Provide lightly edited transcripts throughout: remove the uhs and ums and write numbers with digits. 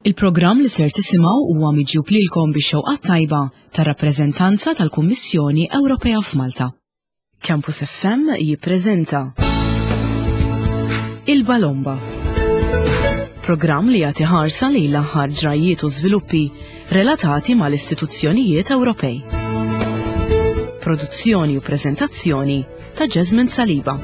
Il-programm li ser tisimgħu huwa miġjub lilkom bix-xewqat tajba tar-rappreżentanza tal-Kummissjoni Ewropea f'Malta. Campus FM jippreżenta Il-Balomba. Programm li jagħti ħarsa lejn l-aħħar ġrajjiet u żviluppi relatati mal-istituzzjonijiet Ewropej. Produzzjoni u preżentazzjoni ta' Jasmine Saliba.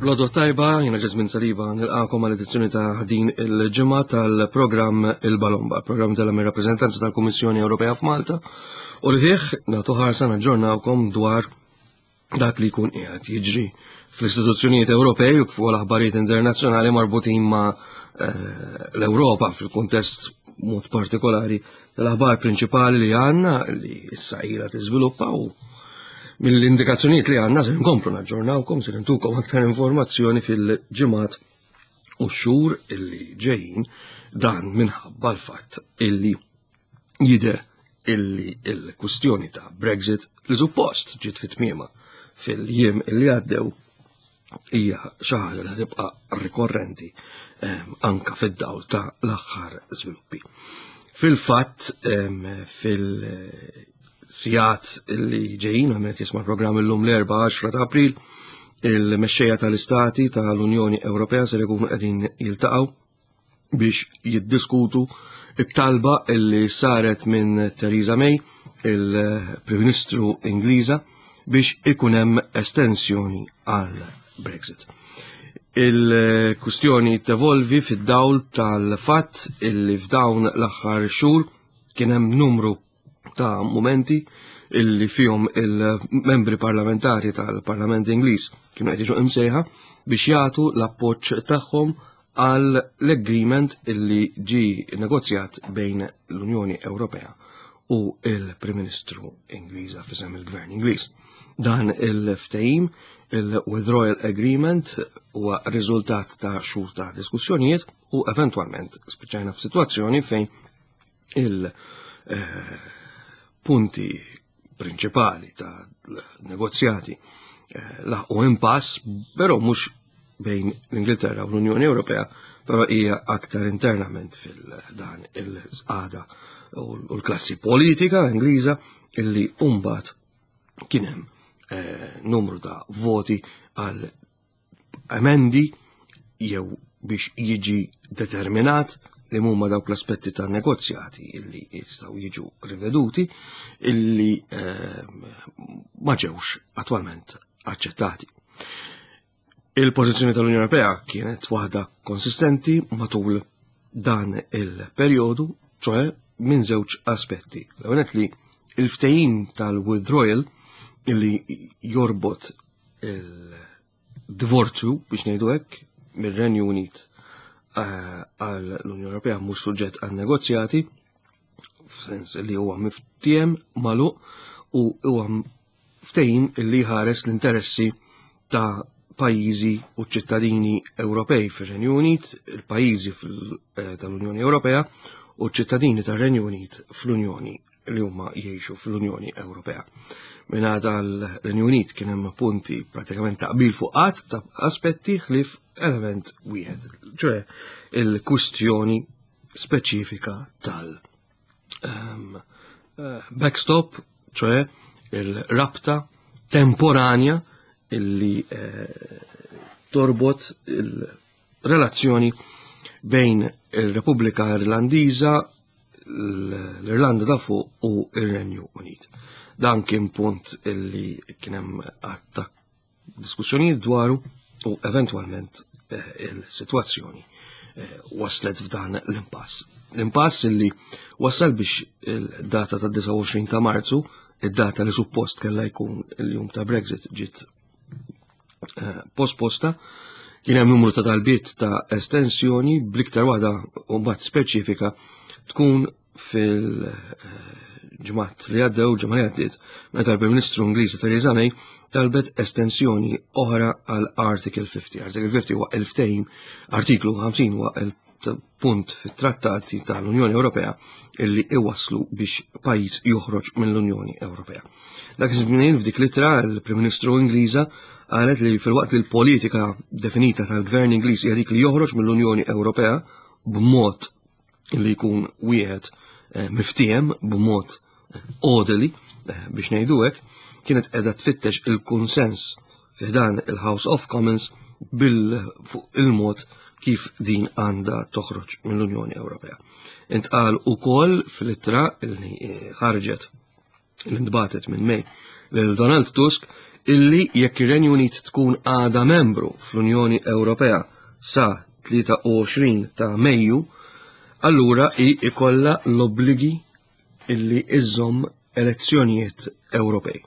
Lodo tajba, jina Jasmine Saliba, nilqakom għal edizzjoni ta' din il-ġimgħa tal-programm Il-Balomba, programm tal-rappreżentanza tal-Kummissjoni Ewropea f'Malta, u li fih nagħtu ħarsa naġġornawkom dwar dak li jkun qiegħed jiġri fl-istituzzjonijiet Ewropej u kif ukoll aħbarijiet internazzjonali marbutin ma' eh, l-Ewropa fil-kuntest mod partikolari tal-aħbar prinċipali li għandna li issa ilha tiżviluppa u mill-indikazzjonijiet li għandna se nkomplu naġġornawkom se nintukom aktar informazzjoni fil-ġimgħat u x-xhur illi ġejjin dan minħabba l-fatt illi jidher illi il-kwistjoni ta' Brexit li suppost ġiet fit-tmiema fil-jiem illi għaddew hija xi ħaġa li tibqa' rikorrenti ehm, anka fid-dawl ta' l-aħħar żviluppi. Fil-fatt ehm, fil-sigħat li ġejjin għamlet jisma' programm illum l-4 ta' April, il-mexxejja tal-istati tal-Unjoni Ewropea se jkunu qegħdin jiltaqgħu biex jiddiskutu it-talba illi saret minn Theresa May, il-Prim Ministru Ingliża, biex ikun hemm estensjoni għal Brexit. Il-kustjoni tevolvi fid-dawl tal-fatt illi f'dawn l-aħħar xhur kien hemm numru ta' mumenti illi fihom il-membri parlamentari tal-Parlament Ingliż kienu qed jiġu imsejħa biex jagħtu l-appoġġ tagħhom għal l-agreement illi ġi negozjat bejn l-Unjoni Ewropea u il-Prim Ministru Ingliża f'isem il-Gvern Ingliż. Dan il-ftehim, il-Withdrawal Agreement, huwa riżultat ta' xhur ta' diskussjonijiet u eventwalment spiċċajna f'sitwazzjoni fejn il-punti prinċipali ta' negozjati eh, laħqu impass, però mhux bejn l-Ingilterra u l-Unjoni Ewropea, però hija aktar internament fil-dan il-qada u l-klassi politika Ingliża illi umbat kien hemm eh, numru ta' voti għal emendi jew biex jiġi determinat li huma dawk l-aspetti ta' negozjati illi jistgħu jiġu riveduti illi ehm, ma ġewx attwalment aċċettati. Il-pożizzjoni tal-Unjoni Ewropea kienet waħda konsistenti matul dan il-perjodu, ċoħe minn żewġ aspetti. L-ewwel li il-ftehim tal-withdrawal illi jorbot il-divorzju biex ngħidu hekk mir-Renju Unit eh, għal l-Unjoni Ewropea mhux suġġett għal negozjati f'sens li huwa miftiem magħluq u huwa ftehim li ħares l-interessi ta' pajjiżi u ċittadini Ewropej fir-Renju Unit, il-pajjiżi eh, tal-Unjoni Ewropea u ċittadini tar-Renju Unit fl-Unjoni li huma jgħixu fl-Unjoni Ewropea. Minn l-Renju Unit kien hemm punti pratikament taqbil fuq qatt ta' aspetti ħlief element wieħed, ċoe il-kwistjoni speċifika tal um, backstop, ċoe il-rabta temporanja illi eh, torbot il-relazzjoni bejn il-Repubblika Irlandiża l-Irlanda ta' fuq u ir-Renju Unit. Dan kien punt illi kien hemm għatta diskussjonijiet dwaru u eventwalment eh, il-sitwazzjoni eh, waslet f'dan l-impass. L-impass illi wassal biex il-data ta' 29 ta' Marzu, id-data li suppost kellha jkun il-jum ta' Brexit ġiet eh, posposta, kien hemm numru ta' talbiet ta' estensjoni bl-iktar waħda mbagħad speċifika tkun fil-ġimgħat li għaddew, ġimgħa li għaddiet, meta l-Prim Ministru Ingliża Theresa May talbet estensjoni oħra għal Article 50. Article 50 huwa il-ftehim, artiklu 50 huwa il- punt fit-trattati tal-Unjoni Ewropea illi iwasslu biex pajjiż joħroġ mill-Unjoni Ewropea. Dak iż-żmien f'dik l-ittra l-Prim Ministru Ingliża qalet li filwaqt li l-politika definita tal-Gvern Ingliż hija dik li joħroġ mill-Unjoni Ewropea b'mod li jkun wieħed eh, miftiehem b'mod eh, orderly eh, biex ngħidu hekk, kienet qiegħda tfittex il-kunsens fiħdan il-House of Commons bil fuq il-mod kif din għandha toħroġ mill-Unjoni Ewropea. Intqal ukoll fl-ittra li ħarġet li ntbatet minn May lil Donald Tusk illi jekk ir-Renju Unit tkun għada membru fl-Unjoni Ewropea sa 23 ta' Mejju, allura hi ikollha l-obbligi illi iżżomm elezzjonijiet Ewropej.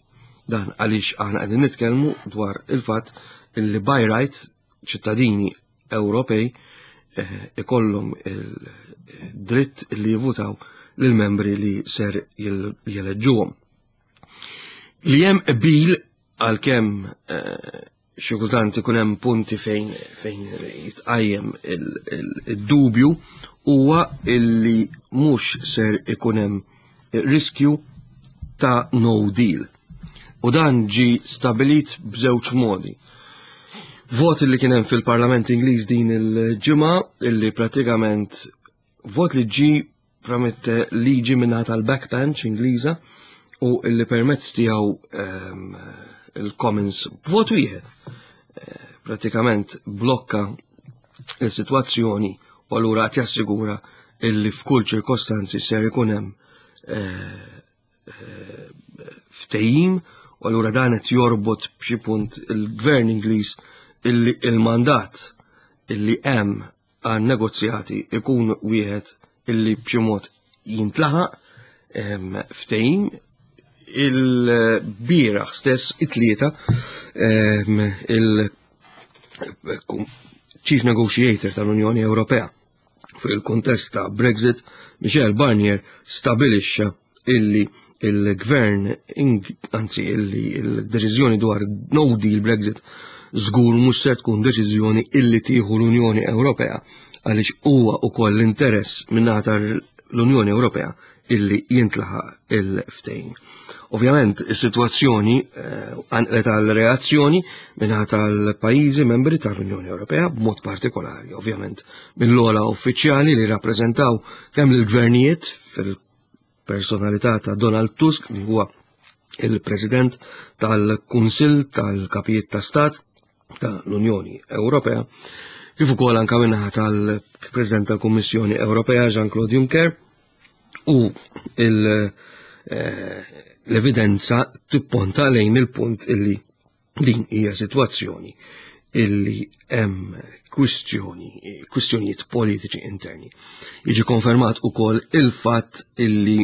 Dan għaliex aħna qegħdin nitkellmu dwar il-fatt illi by right ċittadini Ewropej eh, ikollhom il-dritt li jivutaw lill-membri li ser jeleġġuhom. Li hemm qbil għalkemm eh, xi kultant ikun hemm punti fejn fejn jitqajjem id-dubju huwa illi mhux ser ikun hemm riskju ta' no deal. U dan ġi stabilit b'żewġ modi. Vot li kien hemm fil-Parlament Ingliż din il-ġimgħa illi pratikament vot li ġi tramite liġi minnaħa tal-backbench Ingliża u illi permezz tiegħu ehm, il-Commons b'vot wieħed eh, pratikament blokka il-sitwazzjoni u allura qed jassigura illi f'kull ċirkostanzi ser ikun hemm eh, eh, ftehim u allura dan qed jorbot b'xi punt il-gvern Ingliż illi il-mandat illi hemm għan negozjati ikun wieħed illi b'xi mod jintlaħaq ehm, ftehim il-bieraħ stess it-tlieta ehm, il-Chief Negotiator tal-Unjoni Ewropea fuq il-kontest ta' Brexit, Michel Barnier stabilixxa illi il-gvern, anzi illi il-deċiżjoni dwar no deal Brexit żgur mhux se tkun deċiżjoni illi tieħu l-Unjoni Ewropea għaliex huwa wkoll l-interess min-naħa l-Unjoni Ewropea illi jintlaħaq il-ftehim. Ovvjament, is-sitwazzjoni eh, għanqlet għal reazzjoni minnaħa tal-pajjiżi membri tal-Unjoni Ewropea b'mod partikolari, ovvjament, mill-ola uffiċjali li rappreżentaw kemm lill-gvernijiet fil-personalità ta' Donald Tusk li huwa il-President tal-Kunsill tal-Kapijiet ta' Stat ta' l-Unjoni Ewropea, kif ukoll anke minnaħa tal-President tal-Kummissjoni Ewropea Jean-Claude Juncker u eh, l-evidenza tipponta lejn il-punt illi din hija sitwazzjoni illi hemm kwistjoni, kwistjonijiet politiċi interni. Jiġi konfermat ukoll il-fatt illi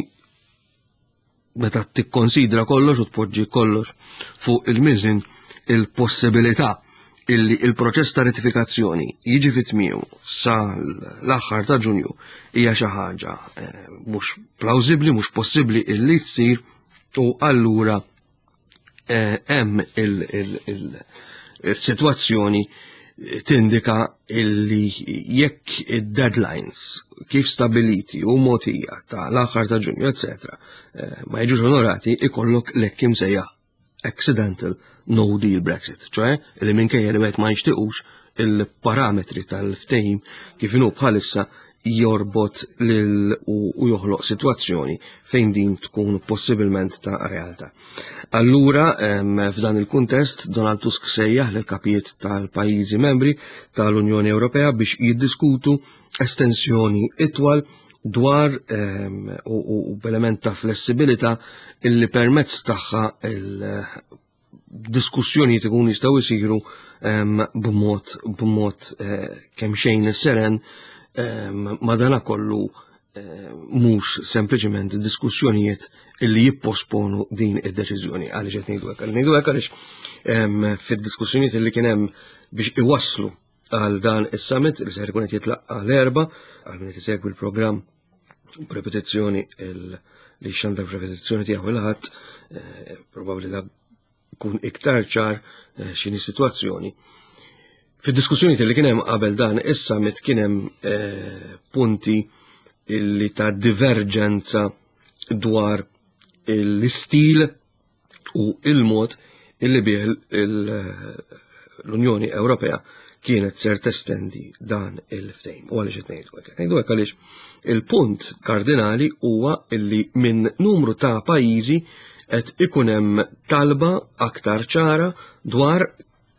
meta tikkonsidra kollox u tpoġġi kollox fuq il-miżin il-possibilità illi il-proċess ta' ratifikazzjoni jiġi fit tmiemu sa l-aħħar ta' Ġunju hija xi ħaġa eh, mhux plawsibbli, mhux possibbli illi tsir u allura eh, hemm il-sitwazzjoni tindika illi jekk id-deadlines kif stabiliti u motija ta' l-aħħar ta' Ġunju, etc., eh, ma jiġux onorati, ikollok l-hekk imsejjaħ accidental no deal Brexit, ċoħe li minkejja li wieħed ma jixtiqux il-parametri tal-ftehim kif inhu bħalissa jorbot lil u joħloq sitwazzjoni fejn din tkun possibilment ta' realtà. Allura, f'dan il-kuntest, Donald Tusk sejjaħ lil kapijiet tal-pajjiżi membri tal-Unjoni Ewropea biex jiddiskutu estensjoni itwal dwar u b'element ta' flessibilità illi permezz tagħha diskussjonijiet ikun jistgħu jsiru b'mod b'mod eh, kemm xejn seren madanakollu eh, mhux sempliċement diskussjonijiet illi jipposponu din id-deċiżjoni għaliex qed ngħidu hekk. Ngħidu hekk għaliex fid-diskussjonijiet illi kien hemm biex iwasslu għal dan is-summit li ser ikun qed jitlaqqa l-erba għal min qed isegwi l-programm b'repetizzjoni li xandar b'repetizzjoni tiegħu il-ħadd, eh, probabbli da jkun iktar ċar eh, x'inhi sitwazzjoni. Fid-diskussjonijiet li kien hemm qabel dan is-summit kien hemm eh, punti illi ta' diverġenza dwar l-istil u il-mod illi bih l-Unjoni Ewropea kienet ser testendi dan il-ftehim. U għaliex qed ngħidu hekk? Ngħidu hekk għaliex il-punt kardinali huwa illi minn numru ta' pajjiżi qed ikun hemm talba aktar ċara dwar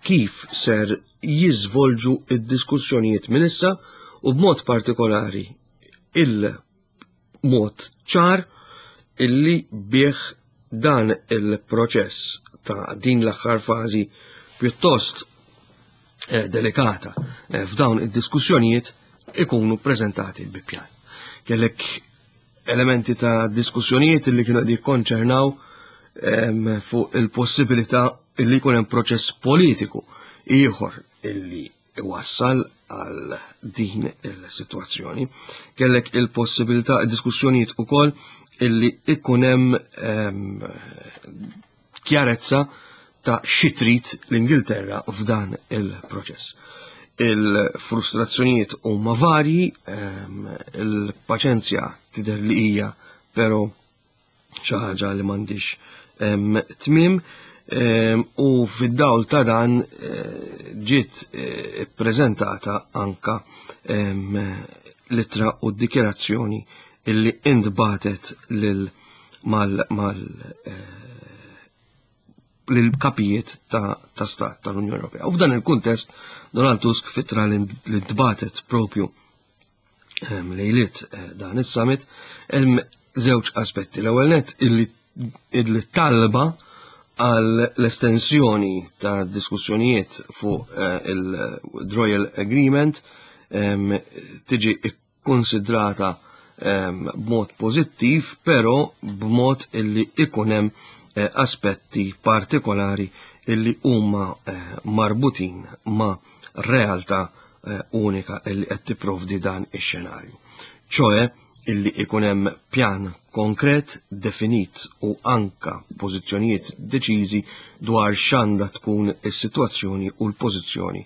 kif ser jiżvolġu id-diskussjonijiet minn issa u b'mod partikolari il-mod ċar illi bih dan il-proċess ta' din l-aħħar fażi pjuttost eh, delikata eh, f'dawn id-diskussjonijiet ikunu prezentati bi pjan. Kellek elementi ta' diskussjonijiet li kienu qed jikkonċernaw ehm, fuq il-possibilità illi jkun hemm proċess politiku ieħor illi iwassal għal din il-sitwazzjoni. Kellek il-possibilità diskussjonijiet ukoll illi ikun hemm ehm, kjarezza ta' xi trid l-Ingilterra f'dan il-proċess. Il-frustrazzjonijiet huma varji, ehm, il-paċenzja tidher li hija però xi ħaġa li m'għandix ehm, tmiem ehm, u fid-dawl ta' dan eh, ġiet eh, ippreżentata anka l-ittra u d-dikjerazzjoni illi intbatet lil mal mal eh, lill-kapijiet ta', ta stat tal-Unjoni Ewropea. U f'dan il-kuntest Donald Tusk fitra li ntbatet propju ehm, lejliet eh, dan is-summit hemm żewġ aspetti. L-ewwel net illi talba għal l-estensjoni ta' diskussjonijiet fuq eh, il-Royal Agreement ehm, tiġi kkunsidrata ehm, b'mod pożittiv, però b'mod illi ikun hemm eh, aspetti partikolari illi huma eh, marbutin ma' realtà eh, unika illi qed tipprovdi dan ix-xenarju. ċoe illi ikun hemm pjan konkret, definit u anka pożizzjonijiet deċiżi dwar x'għandha tkun is-sitwazzjoni u l-pożizzjoni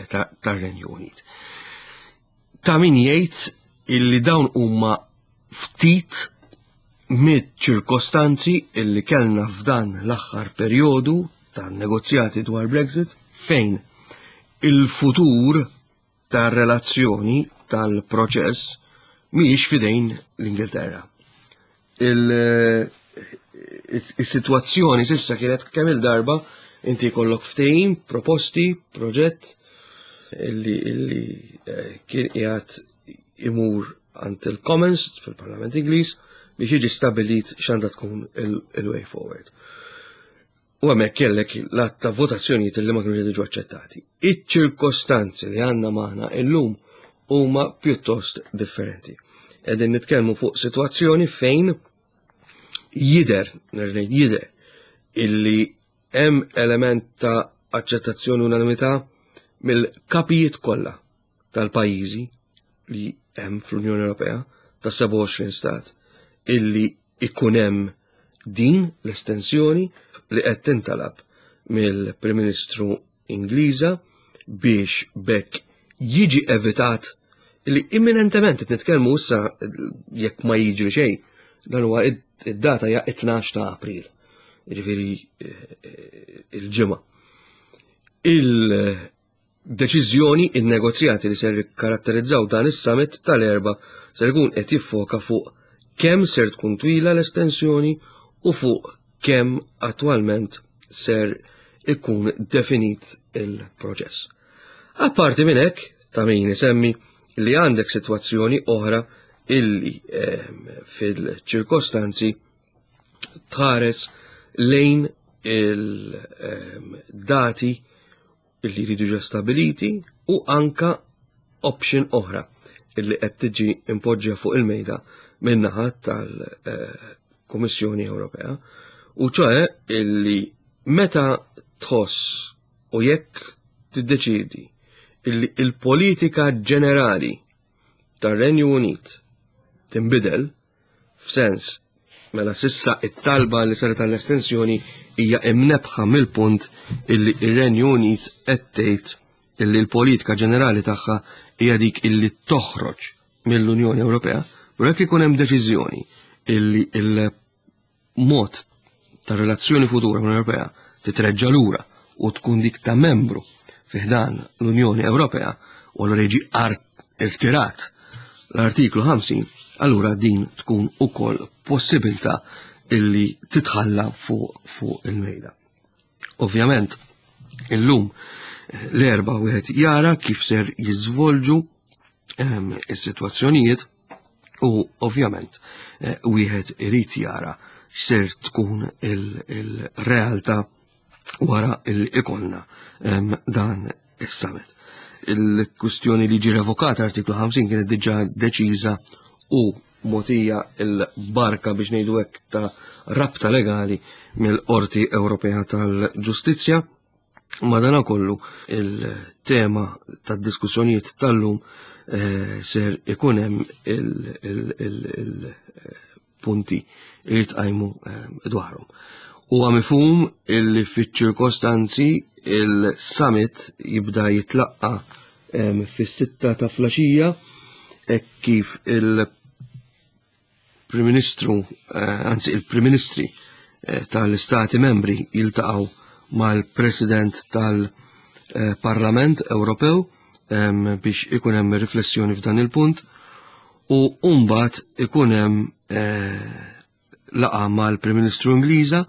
tar-Renju Unit. Ta' min jgħid illi dawn huma ftit mid-ċirkostanzi illi kellna f'dan l-aħħar perjodu ta' negozjati dwar Brexit fejn il-futur tar-relazzjoni tal-proċess mhijiex fidejn l-Ingilterra. Il-sitwazzjoni sissa kienet kemm il-darba inti jkollok ftehim, proposti, proġett illi, illi eh, kien qiegħed imur għand il-Commons fil-Parlament Ingliż biex jiġi stabilit x'għandha tkun il-way forward. U hemmhekk kellek l-att ta' votazzjonijiet li ma kienu jiġu aċċettati. Iċ-ċirkostanzi li għandna magħna illum huma pjuttost differenti. Qegħdin nitkellmu fuq sitwazzjoni fejn jider, nerġa' jider, illi hemm element ta' aċċettazzjoni unanimità mill-kapijiet kollha tal-pajjiżi li hemm fl-Unjoni Ewropea ta' 27 stat illi ikun hemm din l-estensjoni li qed tintalab mill-Prim Ministru Ingliża biex bekk jiġi evitat li imminentement qed nitkellmu issa jekk ma jiġri xejn dan huwa id-data hija 12 ta' April. Jiġifieri eh, il-ġimgħa. Deċiżjoni, In-negozjati li ser jikkaratterizzaw dan is-summit tal-Erbgħa ser ikun qed jiffoka fuq kemm ser tkun twila l-estensjoni u fuq kemm attwalment ser ikun definit il-proċess. Apparti minn hekk, ta' min isemmi li għandek sitwazzjoni oħra illi ehm, fil-ċirkostanzi tħares lejn il-dati ehm, illi jridu jiġu stabiliti u anka option oħra illi qed tiġi impoġġja fuq il-mejda min-naħa tal-Kummissjoni Ewropea u ċoe illi meta tħoss u jekk tiddeċidi illi il-politika ġenerali tar-Renju Unit tinbidel F'sens, mela sissa it-talba li saret għall-estensjoni hija imnebħa mill-punt illi ir-Renju Unit qed tgħid illi l-politika ġenerali tagħha hija dik illi toħroġ mill-Unjoni Ewropea, però jekk ikun hemm deċiżjoni illi il-mod ta' relazzjoni futura mal-Unjoni Ewropea titreġġa' lura u tkun dik ta' membru fi ħdan l-Unjoni Ewropea u allura jiġi irtirat l-artiklu 50, allura din tkun ukoll possibilità illi titħalla fuq fu il-mejda. Ovvjament, illum l-erba wieħed jara kif ser jiżvolġu ehm, is-sitwazzjonijiet u ovvjament eh, wieħed irid jara x'ser tkun il-realtà wara il ikolna ehm, dan is-summit. Il-kwistjoni li ġi revokat artiklu 50 kienet diġà deċiża u mogħtija l-barka biex ngħidu hekk ta' rabta legali mill-Qorti Ewropea tal-Ġustizzja. Madanakollu il-tema tad-diskussjonijiet tal-lum eh, ser ikun hemm il-punti li tqajmu eh, dwarhom. Huwa mifhum illi fiċ-ċirkostanzi il-summit jibda jitlaqqa fis-sitta ta' flaxija hekk kif il-Prim Ministru, eh, anzi il-Prim Ministri eh, tal-Istati Membri jiltaqgħu mal-President tal-Parlament Ewropew biex ikun hemm riflessjoni f'dan il-punt u mbagħad ikun hemm eh, laqa mal-Prim Ministru Ingliża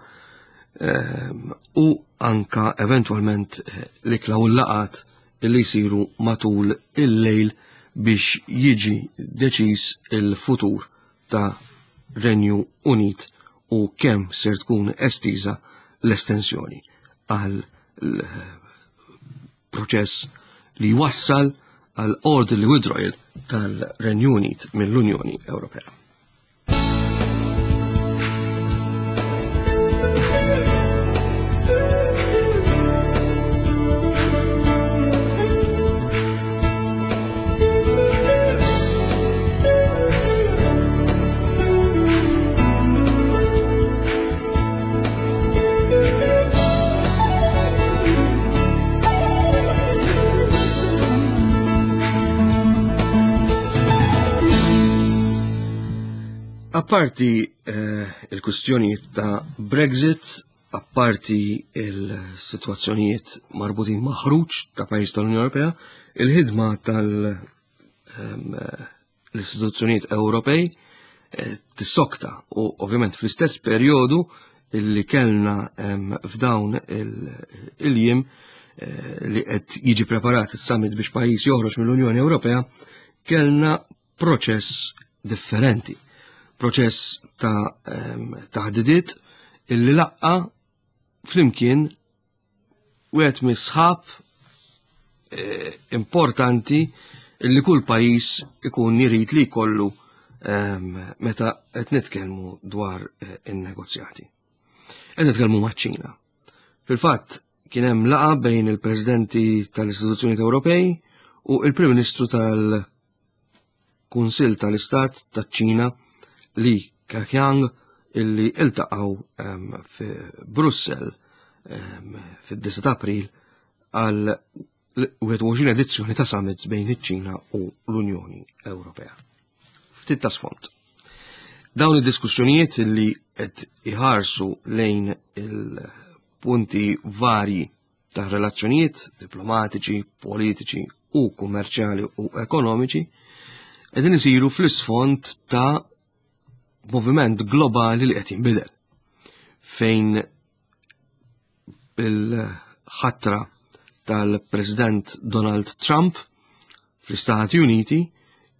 ehm, u anka eventwalment eh, l-ikla u l-laqat li jsiru matul il-lejl biex jiġi deċiż il-futur ta' Renju Unit u kemm ser tkun estiża l-estensjoni għal proċess li jwassal għal orderly withdrawal tal-Renju Unit mill-Unjoni Ewropea. Apparti eh, il-kustjonijiet ta' Brexit, apparti il-situazzjonijiet marbutin ma' ħruġ ta' pajjiż tal-Unjoni Ewropea, il-ħidma tal- ehm, l-istituzzjonijiet Ewropej eh, tissokta u ovvjament fl-istess perjodu li kellna f'dawn il-jiem eh, li qed jiġi preparat is-summit biex pajjiż joħroġ mill-Unjoni Ewropea, kellna proċess differenti. Proċess ta' taħdidiet illi laqqa flimkien wieħed mis-sħab eh, importanti li kull pajjiż ikun jrid li jkollu ehm, meta qed nitkellmu dwar eh, in-negozjati. Qed nitkellmu maċ-Ċina. Fil-fatt kien hemm laqa bejn il-Presidenti tal-Istituzzjonijiet Ewropej u il-Prim Ministru tal Kunsill tal-Istat taċ-Ċina Li Keqiang illi iltaqgħu ehm, fi Brussell ehm, fid-9 ta' April għal 21 edizzjoni ta' summits bejn iċ-Ċina u l-Unjoni Ewropea. Ftit ta' sfond. Dawn id-diskussjonijiet li qed iħarsu lejn il-punti varji ta' relazzjonijiet diplomatiċi, politiċi u kummerċjali u ekonomiċi qegħdin isiru fl-isfond ta' moviment globali li qed jinbidel fejn bil-ħatra tal-President Donald Trump fl-Istati Uniti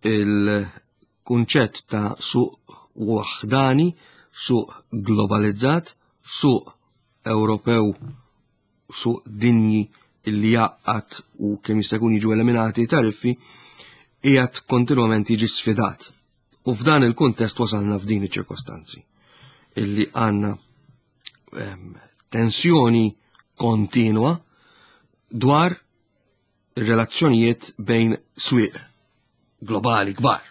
il-kunċett ta' suq waħdani, suq globalizzat, suq Ewropew suq dinji illi jgħaqqad u kemm jista' jkun jiġu eliminati tariffi qiegħed kontinwament jiġi sfidat. U f'dan il-kuntest wasalna f'din iċ-ċirkostanzi illi għandna ehm, tensjoni kontinwa dwar ir-relazzjonijiet bejn swieq globali kbar.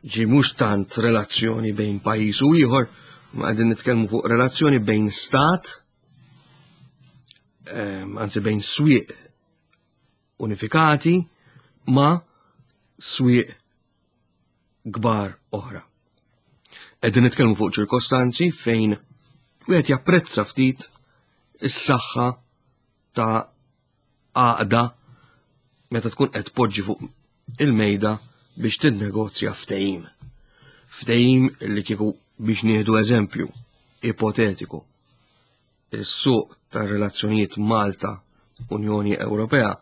Ġi mhux tant relazzjoni bejn pajjiż u ieħor, ma qegħdin nitkellmu fuq relazzjoni bejn stat, ehm, anzi bejn swieq unifikati ma' swieq kbar oħra. Qegħdin nitkellmu fuq ċirkostanzi fejn wieħed japprezza ftit is-saħħa ta' għaqda meta tkun qed tpoġġi fuq il-mejda biex tinnegozja ftehim. Ftehim li kieku biex nieħdu eżempju ipotetiku. Is-suq tar-relazzjonijiet Malta Unjoni Ewropea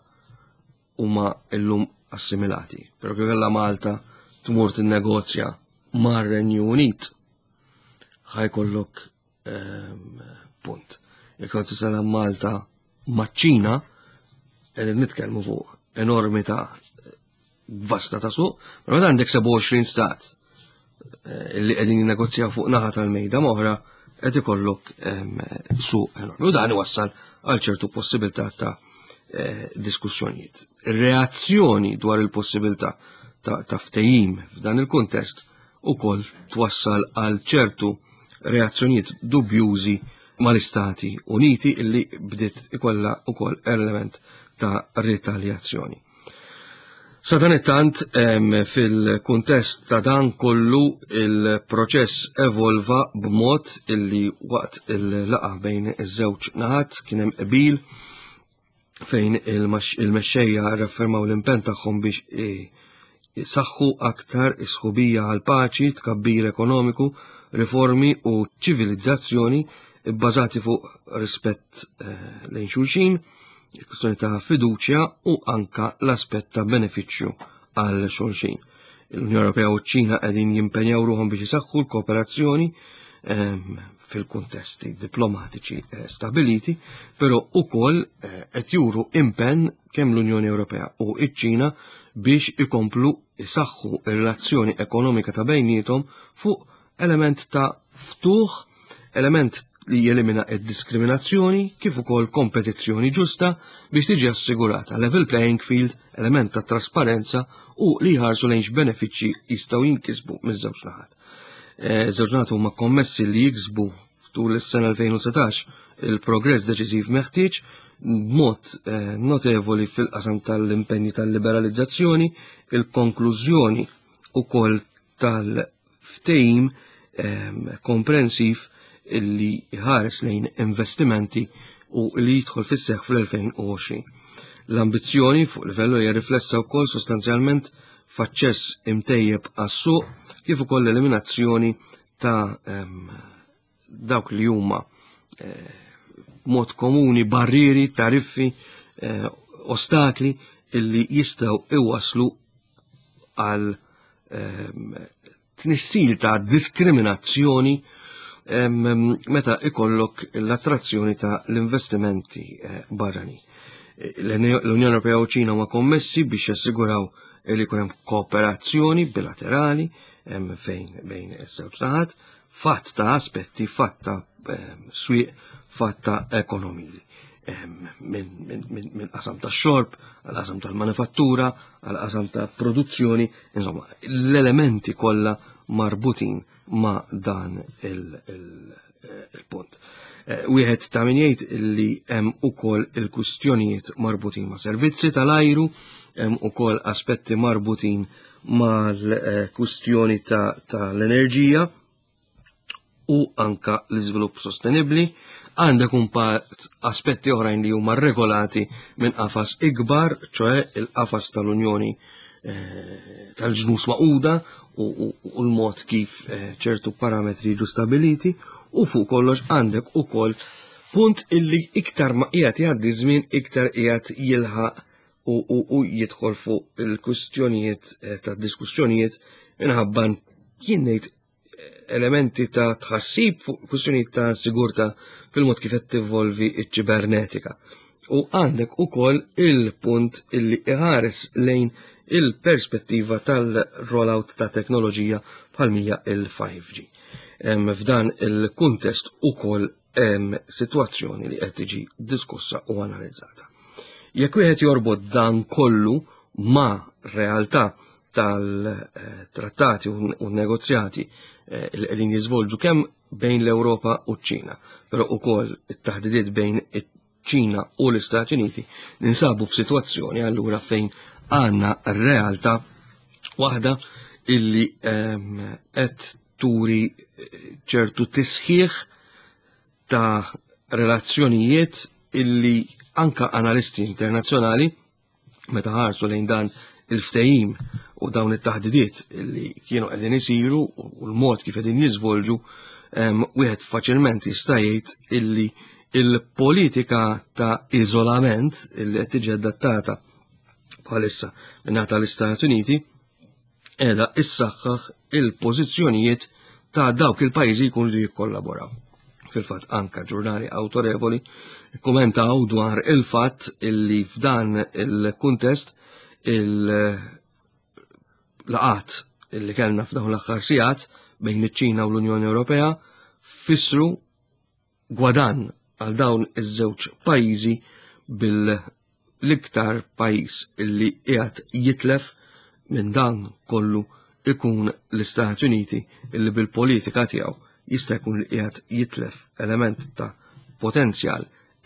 huma llum assimilati. Però kif kellha Malta tmur tinnegozja mar-Renju Unit, ħajkollok ehm, punt. Jekk qed tisala Malta maċ-Ċina, qegħdin nitkellmu fuq enormità vasta ta' suq, però meta għandek 27 stat eh, li qegħdin jinnegozjaw fuq naħa tal-mejda moħra qed ikollok ehm, suq enormi. U dan iwassal għal ċertu possibilità ta' eh, diskussjonijiet. Reazzjoni dwar il-possibilità ta' ftehim f'dan il-kuntest ukoll twassal għal ċertu reazzjonijiet dubjużi mal-Istati Uniti illi bdiet ikollha ukoll element ta' ritaljazzjoni. Sadanittant, fil-kuntest ta' dan kollu il-proċess evolva b'mod illi waqt il-laqa bejn iż-żewġ naħat kien hemm qbil fejn il-mexxejja raffermaw l-impenn tagħhom biex isaħħu aktar is-sħubija għal paċi, tkabbir ekonomiku, riformi u ċivilizzazzjoni bbażati fuq rispett eh, lejn xulxin, il-kwistjoni ta' fiduċja u anka l-aspett ta' benefiċċju għal xulxin. L-Unjoni Ewropea u ċ-Ċina qegħdin jimpenjaw ruħhom biex isaħħu l-kooperazzjoni ehm, fil-kuntesti diplomatiċi eh, stabiliti, però ukoll eh, qed juru impenn kemm l-Unjoni Ewropea u ċ-Ċina biex ikomplu isaħħu ir-relazzjoni ekonomika ta' bejniethom fuq element ta' ftuħ, element li jelimina id-diskriminazzjoni kif ukoll kompetizzjoni ġusta biex tiġi assigurata level playing field, element ta' trasparenza u li jħarsu lejn x'benefiċċji jistgħu jinkisbu miż-żewġ naħat. Eh, żewġ naħat huma kommessi li jiksbu tul is-sena 2019 il-progress deċiżiv meħtieġ b'mod eh, notevoli fil-qasam tal-impenji tal-liberalizzazzjoni, il-konklużjoni ukoll tal-ftehim ehm, komprensiv illi jħares lejn investimenti u li jidħol fis-seħħ fl-2020. L-ambizzjoni fuq livellu hija riflessa wkoll sostanzjalment f'aċċess imtejjeb għas-suq kif ukoll l-eliminazzjoni ta' ehm, dawk li huma eh, mod komuni barrieri, tariffi, eh, ostakli illi jistgħu iwaslu għal ehm, tnissil ta' diskriminazzjoni ehm, meta ikollok l-attrazzjoni ta' l-investimenti eh, barrani. L-Unjoni Ewropea u Ċina huma kommessi biex jassiguraw li jkun hemm kooperazzjoni bilaterali ehm, fejn bejn iż-żewġ naħat fatt ta' aspetti, fatt ta' ehm, swieq, fatt ta' ekonomiji. Ehm, minn qasam ta' xorb, għal qasam tal-manifattura, għal qasam ta' produzzjoni, insomma, l-elementi kollha marbutin ma' dan il-punt. Eh, wieħed ta' min jgħid li hemm ukoll il-kwistjonijiet marbutin ma' servizzi tal-ajru, hemm ukoll aspetti marbutin mal-kwistjoni tal-enerġija u anka l-iżvilupp sostenibbli, għandek imbagħad aspetti oħrajn li huma regolati minn qafas ikbar, ċoe il-qafas tal-Unjoni eh, tal-ġnus maquda u l-mod kif eh, ċertu parametri jiġu stabiliti u fuq kollox għandek ukoll punt illi iktar ma qiegħed jgħaddi żmien iktar qiegħed jilħaq u jidħol fuq il-kwistjonijiet eh, ta' diskussjonijiet minħabba jien ngħid eh, elementi ta' tħassib fuq kwistjonijiet ta' sigurta fil-mod kif qed tivolvi ċ-ċibernetika. U għandek ukoll il-punt illi iħares lejn il-perspettiva tal-rollout ta' teknoloġija bħal mija il-5G. F'dan il-kuntest ukoll hemm sitwazzjoni li qed tiġi diskussa u analizzata. Jekk wieħed jorbot dan kollu ma' realtà tal-trattati u negozjati eh, li qegħdin jiżvolġu kemm bejn l-Ewropa u ċ-Ċina, però ukoll it-taħdidiet bejn iċ-Ċina u l-Istati Uniti, ninsabu f'sitwazzjoni allura fejn għandna realtà waħda illi ehm, qed turi eh, ċertu tisħiħ ta' relazzjonijiet illi anka analisti internazzjonali meta ħarsu lejn dan il-ftehim u dawn it-taħdidiet li kienu qegħdin isiru u l-mod kif qegħdin jiżvolġu, wieħed faċilment jista' jgħid illi il-politika ta' iżolament illi qed tiġi adattata bħalissa minn tal-Istati Uniti qiegħda issaħħaħ il-pożizzjonijiet ta' dawk il-pajjiżi jkunu li jikkollaboraw. Fil-fatt anka ġurnali autorevoli kommentaw dwar il-fatt illi f'dan il-kuntest il-laqat illi kellna f'dawn l-aħħar sigħat bejn iċ-Ċina u l-Unjoni Ewropea fissru gwadann għal dawn iż-żewġ pajjiżi bil-iktar pajjiż illi qiegħed jitlef minn dan kollu ikun l-Istati Uniti illi bil-politika tiegħu jista' jkun li qiegħed jitlef element ta' potenzjal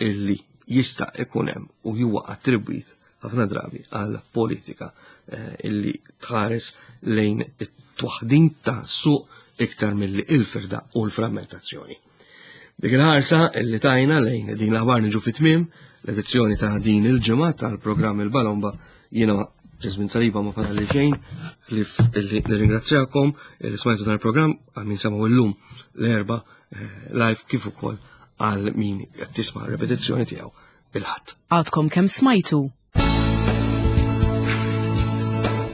illi jista' ikun hemm u huwa attribwit ħafna drabi għal politika eh, illi tħares lejn it-twaħdin ta' suq iktar milli il-firda u l-frammentazzjoni. Dik il-ħarsa illi tajna lejn din l-aħbar niġu fit-tmiem l-edizzjoni ta' din il-ġimgħa tal-programm il-Balomba jiena Ġesmin Saliba ma fadalli xejn li nirringrazzjakom li smajtu dan il-programm għal min semaw illum l-erba eh, live kif ukoll għal min qed tisma' repetizzjoni tiegħu il-Ħadd. Għadkom kemm smajtu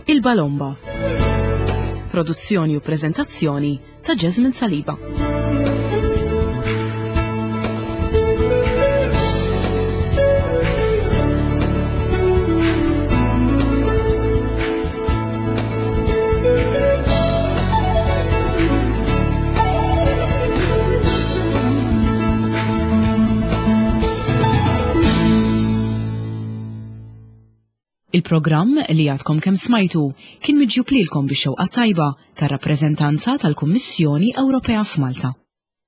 Il-Balomba. Produzzjoni u preżentazzjoni ta' Jasmine Saliba. Il-programm li għadkom kemm smajtu kien miġjub lilkom bix-xewqa tajba tar-rappreżentanza tal-Kummissjoni Ewropea f'Malta.